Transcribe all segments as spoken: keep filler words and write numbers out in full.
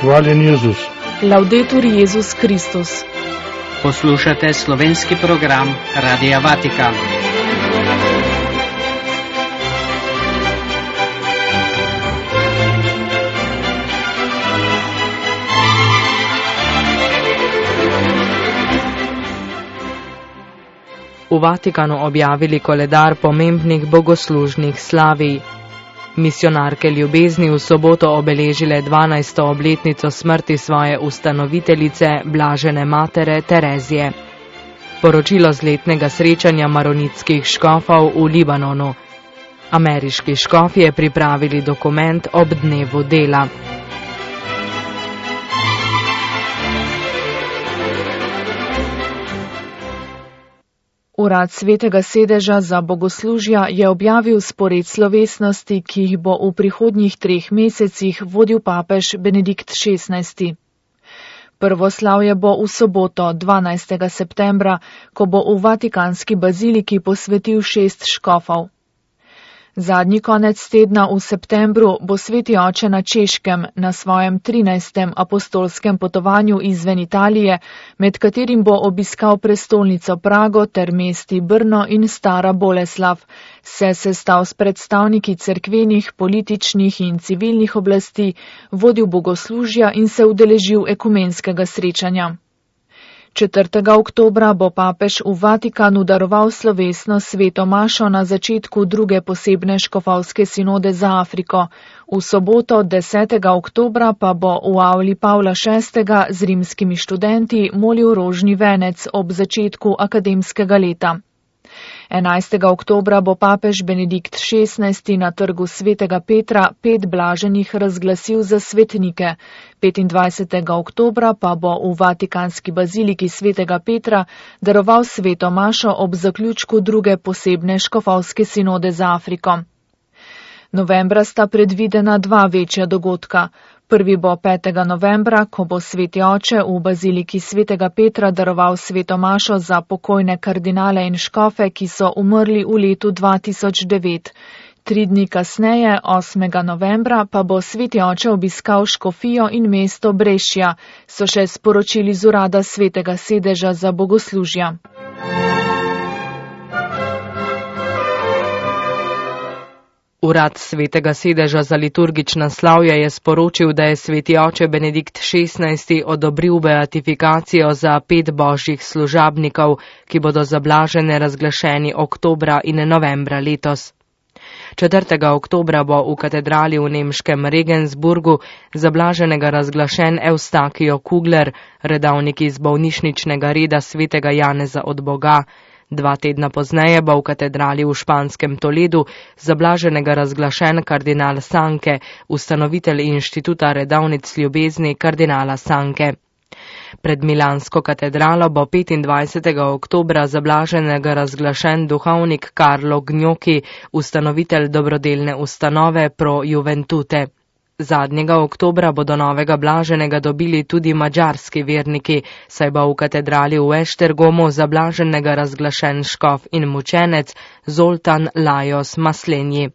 Hvaljen Jezus. Laudetur Jezus Kristus. Poslušate slovenski program Radia Vatikan. V Vatikanu objavili koledar pomembnih bogoslužnih slavij. Misionarke ljubezni v soboto obeležile dvanajsto obletnico smrti svoje ustanoviteljice, blažene matere Terezije. Poročilo z letnega srečanja maronitskih škofov v Libanonu. Ameriški škofje pripravili dokument ob dnevu dela. Urad Svetega sedeža za bogoslužja je objavil spored slovesnosti, ki jih bo v prihodnjih treh mesecih vodil papež Benedikt šestnajsti. Prvo slavje bo v soboto, dvanajstega septembra, ko bo v Vatikanski baziliki posvetil šest škofov. Zadnji konec tedna v septembru bo sveti oče na Češkem na svojem trinajstem apostolskem potovanju izven Italije, med katerim bo obiskal prestolnico Prago ter mesti Brno in Stara Boleslav, se sestal s predstavniki cerkvenih, političnih in civilnih oblasti, vodil bogoslužja in se udeležil ekumenskega srečanja. četrtega oktobra bo papež v Vatikanu daroval slovesno sveto mašo na začetku druge posebne škofovske sinode za Afriko. V soboto, desetega oktobra, pa bo v avli Pavla šestega z rimskimi študenti molil rožni venec ob začetku akademskega leta. enajstega oktobra bo papež Benedikt šestnajsti na trgu svetega Petra pet blaženih razglasil za svetnike. petindvajsetega oktobra pa bo v Vatikanski baziliki svetega Petra daroval sveto mašo ob zaključku druge posebne škofovske sinode za Afriko. Novembra sta predvidena dva večja dogodka. Prvi bo petega novembra, ko bo sveti oče v baziliki svetega Petra daroval sveto mašo za pokojne kardinale in škofe, ki so umrli v letu dva tisoč devet. Tri dni kasneje, osmega novembra, pa bo sveti oče obiskal škofijo in mesto Brešja, so še sporočili z urada Svetega sedeža za bogoslužja. Urad Svetega sedeža za liturgična slavja je sporočil, da je sveti oče Benedikt šestnajsti odobril beatifikacijo za pet božjih služabnikov, ki bodo za blažene razglašeni oktobra in novembra letos. četrtega oktobra bo v katedrali v nemškem Regensburgu za blaženega razglašen Eustakijo Kugler, redavnik iz bolnišničnega reda svetega Janeza od Boga. Dva tedna pozneje bo v katedrali v španskem Toledu za blaženega razglašen kardinal Sanke, ustanovitelj inštituta redavnic ljubezni kardinala Sanke. Pred milansko katedralo bo petindvajsetega oktobra za blaženega razglašen duhovnik Carlo Gnocchi, ustanovitelj dobrodelne ustanove Pro Juventute. Zadnjega oktobra bodo novega blaženega dobili tudi madžarski verniki, saj bo v katedrali v Eštergomu za blaženega razglašen škof in mučenec Zoltan Lajos Maslenji.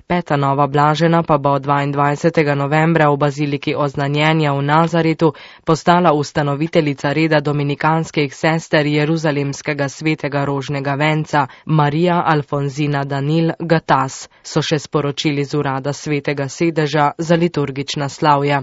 Peta nova blažena pa bo dvaindvajsetega novembra v baziliki Oznanjenja v Nazaretu postala ustanoviteljica reda dominikanskih sester Jeruzalemskega svetega rožnega venca Marija Alfonzina Danil Gatas, so še sporočili z urada Svetega sedeža za liturgična slavja.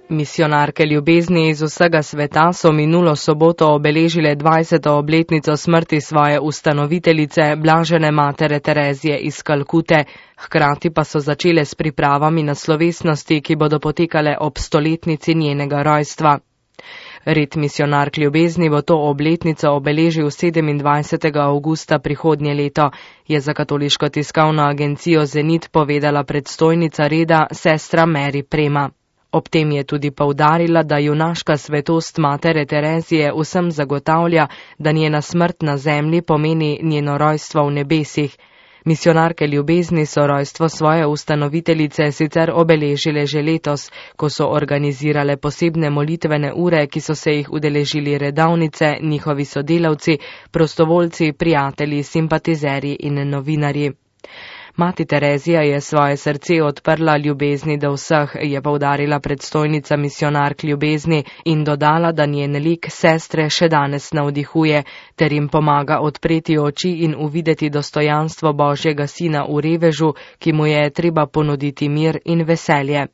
Misionarke ljubezni iz vsega sveta so minulo soboto obeležile dvajseto obletnico smrti svoje ustanoviteljice, blažene matere Terezije iz Kalkute, hkrati pa so začele s pripravami na slovesnosti, ki bodo potekale ob stoletnici njenega rojstva. Red misionark ljubezni bo to obletnico obeležil sedemindvajsetega avgusta prihodnje leto, je za katoliško tiskovno agencijo Zenit povedala predstojnica reda sestra Mary Prema. Ob tem je tudi poudarila, da junaška svetost matere Terezije vsem zagotavlja, da njena smrt na zemlji pomeni njeno rojstvo v nebesih. Misionarke ljubezni so rojstvo svoje ustanoviteljice sicer obeležile že letos, ko so organizirale posebne molitvene ure, ki so se jih udeležili redavnice, njihovi sodelavci, prostovoljci, prijatelji, simpatizerji in novinarji. Mati Terezija je svoje srce odprla ljubezni do vseh, je poudarila predstojnica misionark ljubezni in dodala, da njen lik sestre še danes navdihuje, ter jim pomaga odpreti oči in uvideti dostojanstvo Božjega sina v revežu, ki mu je treba ponuditi mir in veselje.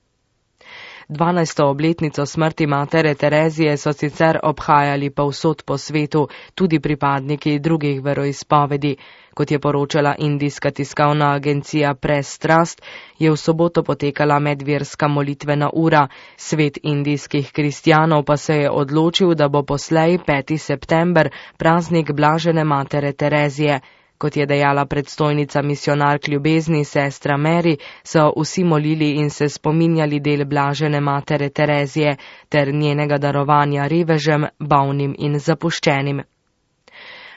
dvanajsto obletnico smrti matere Terezije so sicer obhajali povsod po svetu, tudi pripadniki drugih veroizpovedi. Kot je poročala indijska tiskovna agencija Press Trust, je v soboto potekala medverska molitvena ura. Svet indijskih kristjanov pa se je odločil, da bo poslej peti september praznik blažene matere Terezije. Kot je dejala predstojnica misionark ljubezni sestra Mary, so vsi molili in se spominjali del blažene matere Terezije ter njenega darovanja revežem, bolnim in zapuščenim.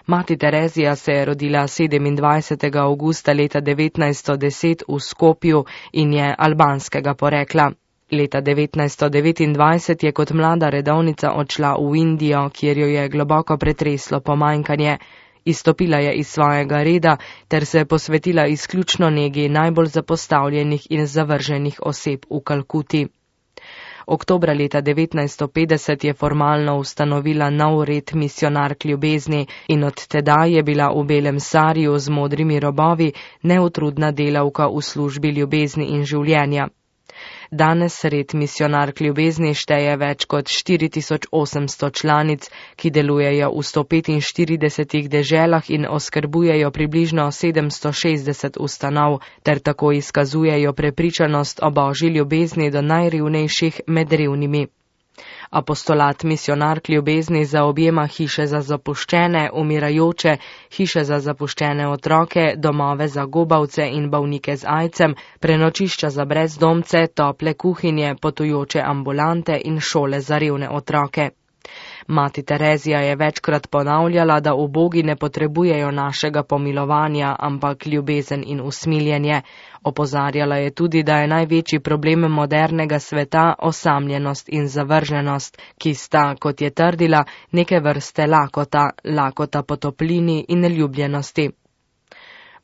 Mati Terezija se je rodila sedemindvajsetega avgusta leta devetnajststo deset v Skopju in je albanskega porekla. Leta devetnajststo devetindvajset je kot mlada redovnica odšla v Indijo, kjer jo je globoko pretreslo pomanjkanje. Izstopila je iz svojega reda ter se posvetila izključno negi najbolj zapostavljenih in zavrženih oseb v Kalkuti. Oktobra leta devetnajststo petdeset je formalno ustanovila nov red misionark ljubezni in od tedaj je bila v belem sariju z modrimi robovi neutrudna delavka v službi ljubezni in življenja. Danes red misionark ljubezni šteje več kot štiri tisoč osemsto članic, ki delujejo v sto petinštiridesetih deželah in oskrbujejo približno sedemsto šestdeset ustanov, ter tako izkazujejo prepričanost o Božji ljubezni do najrevnejših med revnimi. Apostolat misionark ljubezni zaobjema hiše za zapuščene, umirajoče, hiše za zapuščene otroke, domove za gobavce in bolnike z aidsom, prenočišča za brezdomce, tople kuhinje, potujoče ambulante in šole za revne otroke. Mati Terezija je večkrat ponavljala, da ubogi ne potrebujejo našega pomilovanja, ampak ljubezen in usmiljenje. Opozarjala je tudi, da je največji problem modernega sveta osamljenost in zavrženost, ki sta, kot je trdila, neke vrste lakota, lakota po toplini in neljubljenosti.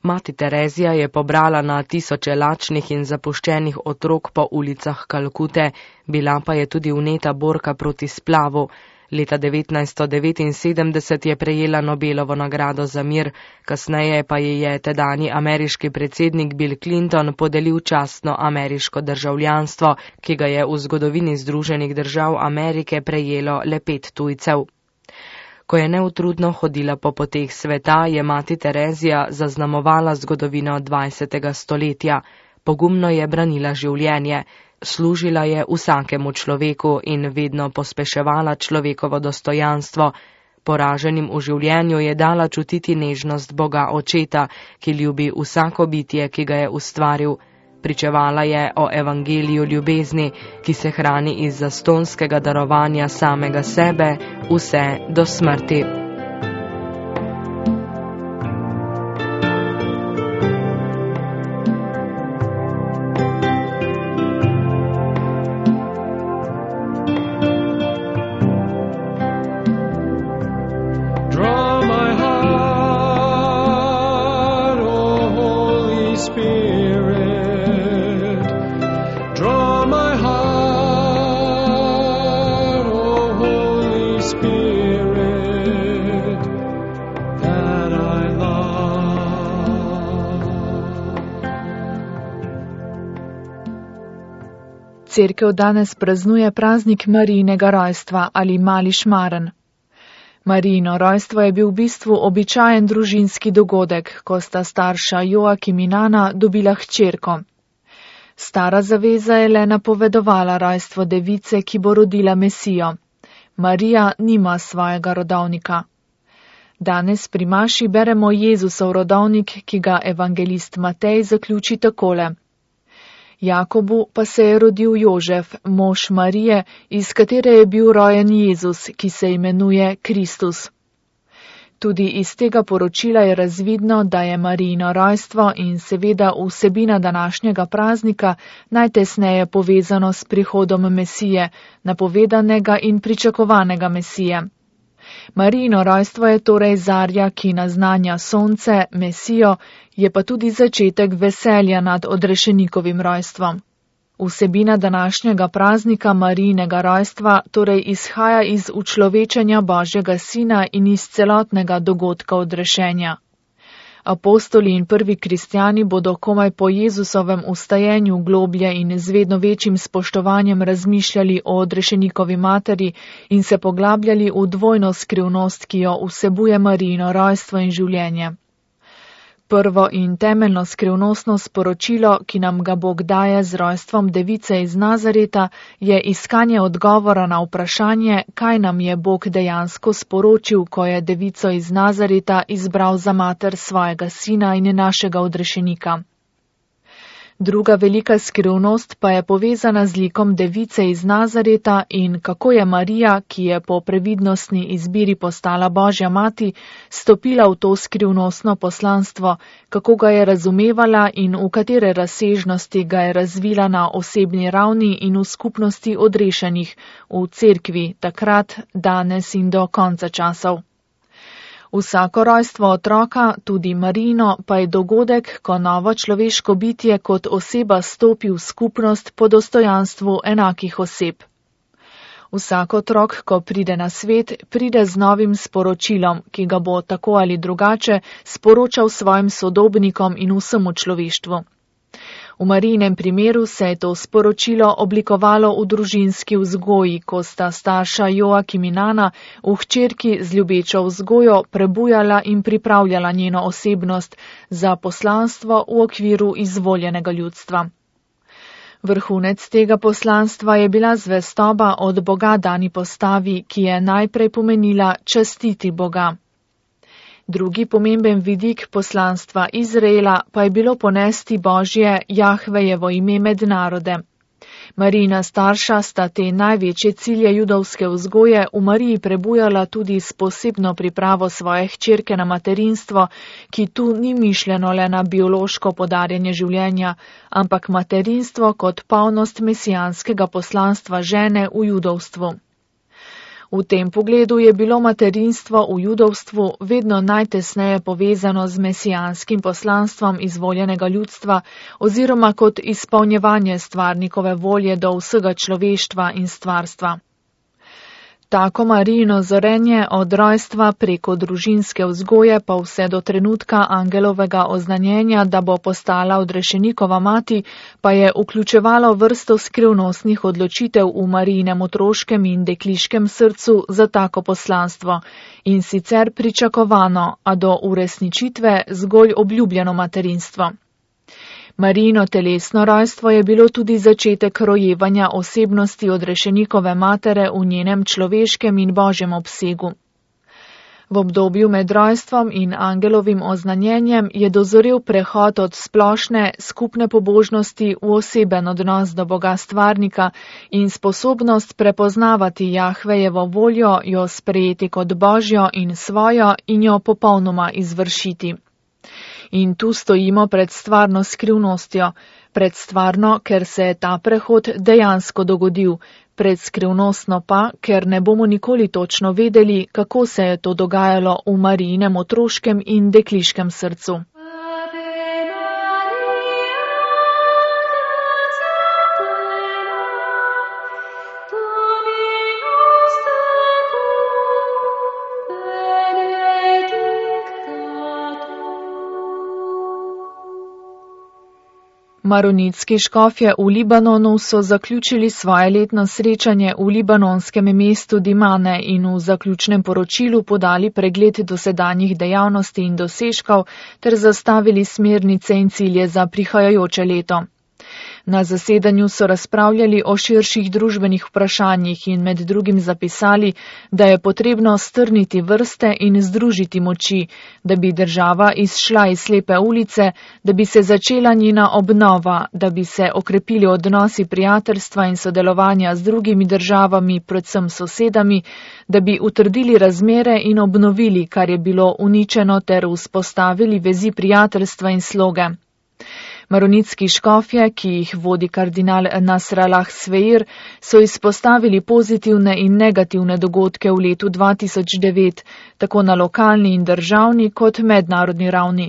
Mati Terezija je pobrala na tisoče lačnih in zapuščenih otrok po ulicah Kalkute, bila pa je tudi vneta borka proti splavu. Leta devetnajststo devetinsedemdeset je prejela Nobelovo nagrado za mir, kasneje pa ji je tedanji ameriški predsednik Bill Clinton podelil častno ameriško državljanstvo, ki ga je v zgodovini Združenih držav Amerike prejelo le pet tujcev. Ko je neutrudno hodila po poteh sveta, je mati Terezija zaznamovala zgodovino dvajsetega stoletja. Pogumno je branila življenje. Služila je vsakemu človeku in vedno pospeševala človekovo dostojanstvo. Poraženim v življenju je dala čutiti nežnost Boga Očeta, ki ljubi vsako bitje, ki ga je ustvaril. Pričevala je o evangeliju ljubezni, ki se hrani iz zastonskega darovanja samega sebe, vse do smrti. Cerkev danes praznuje praznik Marijinega rojstva ali mali šmaren. Marijino rojstvo je bil v bistvu običajen družinski dogodek, ko sta starša Joakim in Ana dobila hčerko. Stara zaveza je le napovedovala rojstvo device, ki bo rodila Mesijo. Marija nima svojega rodovnika. Danes pri maši beremo Jezusov rodovnik, ki ga evangelist Matej zaključi takole. Jakobu pa se je rodil Jožef, mož Marije, iz katere je bil rojen Jezus, ki se imenuje Kristus. Tudi iz tega poročila je razvidno, da je Marijino rojstvo in seveda vsebina današnjega praznika najtesneje povezano s prihodom Mesije, napovedanega in pričakovanega Mesije. Marijino rojstvo je torej zarja, ki naznanja sonce, Mesijo, je pa tudi začetek veselja nad odrešenikovim rojstvom. Vsebina današnjega praznika Marijinega rojstva torej izhaja iz učlovečenja Božjega Sina in iz celotnega dogodka odrešenja. Apostoli in prvi kristjani bodo komaj po Jezusovem vstajenju globlje in z vedno večjim spoštovanjem razmišljali o odrešenikovi materi in se poglabljali v dvojno skrivnost, ki jo vsebuje Marijino rojstvo in življenje. Prvo in temeljno skrivnostno sporočilo, ki nam ga Bog daje z rojstvom device iz Nazareta, je iskanje odgovora na vprašanje, kaj nam je Bog dejansko sporočil, ko je devico iz Nazareta izbral za mater svojega sina in našega odrešenika. Druga velika skrivnost pa je povezana z likom device iz Nazareta in kako je Marija, ki je po previdnostni izbiri postala Božja mati, stopila v to skrivnostno poslanstvo, kako ga je razumevala in v katere razsežnosti ga je razvila na osebni ravni in v skupnosti odrešenih, v cerkvi, takrat, danes in do konca časov. Vsako rojstvo otroka, tudi Marijino, pa je dogodek, ko novo človeško bitje kot oseba stopi v skupnost po dostojanstvu enakih oseb. Vsak otrok, ko pride na svet, pride z novim sporočilom, ki ga bo tako ali drugače sporočal svojim sodobnikom in vsemu človeštvu. V Marijinem primeru se je to sporočilo oblikovalo v družinski vzgoji, ko sta starša Joakim in Ana v hčerki z ljubečo vzgojo prebujala in pripravljala njeno osebnost za poslanstvo v okviru izvoljenega ljudstva. Vrhunec tega poslanstva je bila zvestoba od Boga dani postavi, ki je najprej pomenila častiti Boga. Drugi pomemben vidik poslanstva Izraela pa je bilo ponesti Božje Jahvejevo ime med narode. Marijina starša sta te največje cilje judovske vzgoje v Mariji prebujala tudi s posebno pripravo svoje hčerke na materinstvo, ki tu ni mišljeno le na biološko podarjanje življenja, ampak materinstvo kot polnost mesijanskega poslanstva žene v judovstvu. V tem pogledu je bilo materinstvo v judovstvu vedno najtesneje povezano z mesijanskim poslanstvom izvoljenega ljudstva oziroma kot izpolnjevanje stvarnikove volje do vsega človeštva in stvarstva. Tako Marijino zorenje od rojstva preko družinske vzgoje pa vse do trenutka angelovega oznanjenja, da bo postala odrešenikova mati, pa je vključevalo vrsto skrivnostnih odločitev v Marijinem otroškem in dekliškem srcu za tako poslanstvo in sicer pričakovano, a do uresničitve zgolj obljubljeno materinstvo. Marijino telesno rojstvo je bilo tudi začetek rojevanja osebnosti odrešenikove matere v njenem človeškem in božjem obsegu. V obdobju med rojstvom in angelovim oznanjenjem je dozorel prehod od splošne skupne pobožnosti v oseben odnos do Boga stvarnika in sposobnost prepoznavati Jahvejevo voljo, jo sprejeti kot božjo in svojo in jo popolnoma izvršiti. In tu stojimo pred stvarno skrivnostjo, pred stvarno, ker se je ta prehod dejansko dogodil, pred skrivnostno pa, ker ne bomo nikoli točno vedeli, kako se je to dogajalo v Marijinem otroškem in dekliškem srcu. Maronitski škofje v Libanonu so zaključili svoje letno srečanje v libanonskem mestu Dimane in v zaključnem poročilu podali pregled dosedanjih dejavnosti in dosežkov ter zastavili smernice in cilje za prihajajoče leto. Na zasedanju so razpravljali o širših družbenih vprašanjih in med drugim zapisali, da je potrebno strniti vrste in združiti moči, da bi država izšla iz slepe ulice, da bi se začela njena obnova, da bi se okrepili odnosi prijateljstva in sodelovanja z drugimi državami, predvsem sosedami, da bi utrdili razmere in obnovili, kar je bilo uničeno, ter vzpostavili vezi prijateljstva in sloge. Maronitski škofje, ki jih vodi kardinal Nasrallah Sveir, so izpostavili pozitivne in negativne dogodke v letu dva tisoč devet, tako na lokalni in državni kot mednarodni ravni.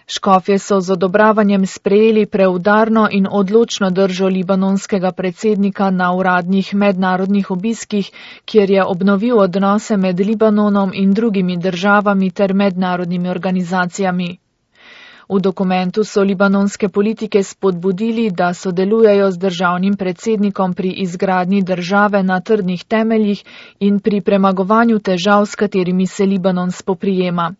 Škofje so z odobravanjem sprejeli preudarno in odločno držo libanonskega predsednika na uradnih mednarodnih obiskih, kjer je obnovil odnose med Libanonom in drugimi državami ter mednarodnimi organizacijami. V dokumentu so libanonske politike spodbudili, da sodelujejo z državnim predsednikom pri izgradnji države na trdnih temeljih in pri premagovanju težav, s katerimi se Libanon spoprijema.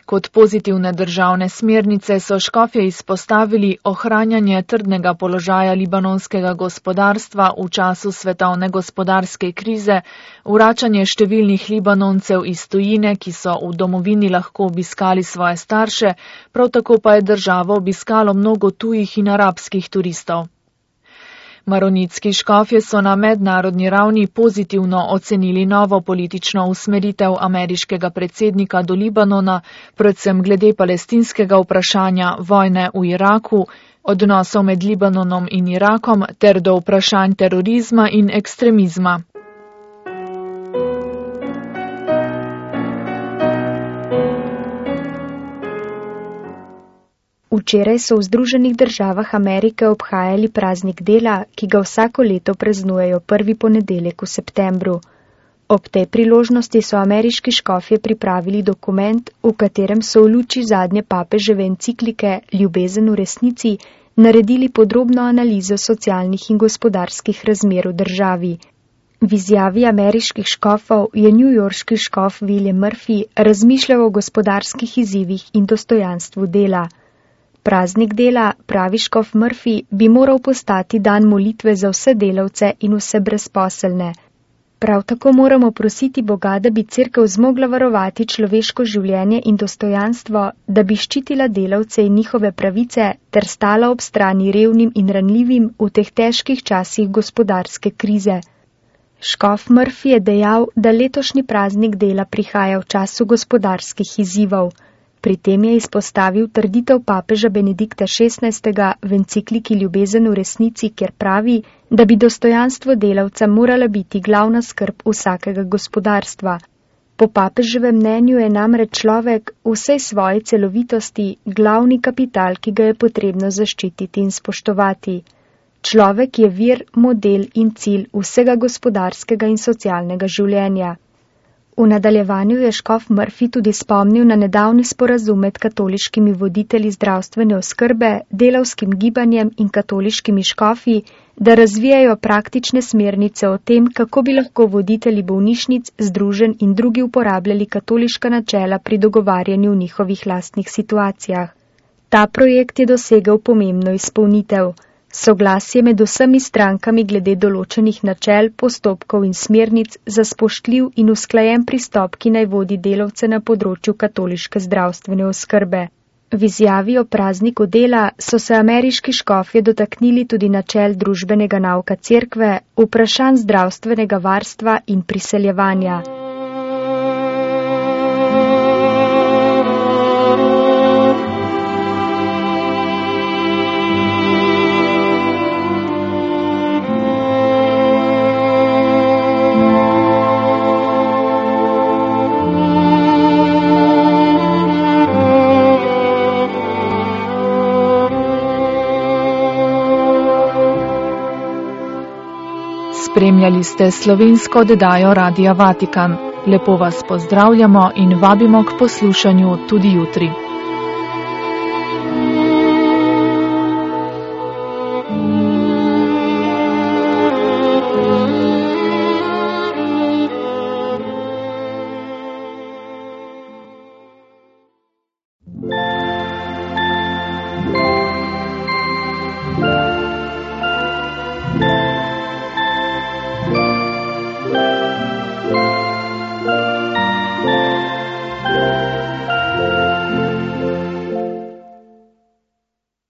Kot pozitivne državne smernice so škofje izpostavili ohranjanje trdnega položaja libanonskega gospodarstva v času svetovne gospodarske krize, vračanje številnih Libanoncev iz tujine, ki so v domovini lahko obiskali svoje starše, prav tako pa je državo obiskalo mnogo tujih in arabskih turistov. Maronitski škofje so na mednarodni ravni pozitivno ocenili novo politično usmeritev ameriškega predsednika do Libanona, predvsem glede palestinskega vprašanja, vojne v Iraku, odnosov med Libanonom in Irakom ter do vprašanj terorizma in ekstremizma. Včeraj so v Združenih državah Amerike obhajali praznik dela, ki ga vsako leto praznujejo prvi ponedeljek v septembru. Ob tej priložnosti so ameriški škofje pripravili dokument, v katerem so v luči zadnje papeževe enciklike Ljubezen v resnici naredili podrobno analizo socialnih in gospodarskih razmer v državi. V izjavi ameriških škofov je newyorški škof William Murphy razmišljal o gospodarskih izzivih in dostojanstvu dela. Praznik dela, pravi škof Murphy, bi moral postati dan molitve za vse delavce in vse brezposelne. Prav tako moramo prositi Boga, da bi cerkev zmogla varovati človeško življenje in dostojanstvo, da bi ščitila delavce in njihove pravice ter stala ob strani revnim in ranljivim v teh težkih časih gospodarske krize. Škof Murphy je dejal, da letošnji praznik dela prihaja v času gospodarskih izzivov. Pri tem je izpostavil trditev papeža Benedikta šestnajstega v encikliki Ljubezen v resnici, kjer pravi, da bi dostojanstvo delavca morala biti glavna skrb vsakega gospodarstva. Po papeževem mnenju je namreč človek v vsej svoji celovitosti glavni kapital, ki ga je potrebno zaščititi in spoštovati. Človek je vir, model in cilj vsega gospodarskega in socialnega življenja. V nadaljevanju je škof Murphy tudi spomnil na nedavni sporazum med katoliškimi voditelji zdravstvene oskrbe, delavskim gibanjem in katoliškimi škofi, da razvijajo praktične smernice o tem, kako bi lahko voditelji bolnišnic, združenj in drugi uporabljali katoliška načela pri dogovarjanju v njihovih lastnih situacijah. Ta projekt je dosegel pomembno izpolnitev. Soglasje med vsemi strankami glede določenih načel, postopkov in smernic za spoštljiv in usklajen pristop, ki naj vodi delavce na področju katoliške zdravstvene oskrbe. V izjavi o prazniku dela so se ameriški škofje dotaknili tudi načel družbenega nauka cerkve, vprašanj zdravstvenega varstva in priseljevanja. Spremljali ste slovensko oddajo Radia Vatikan. Lepo vas pozdravljamo in vabimo k poslušanju tudi jutri.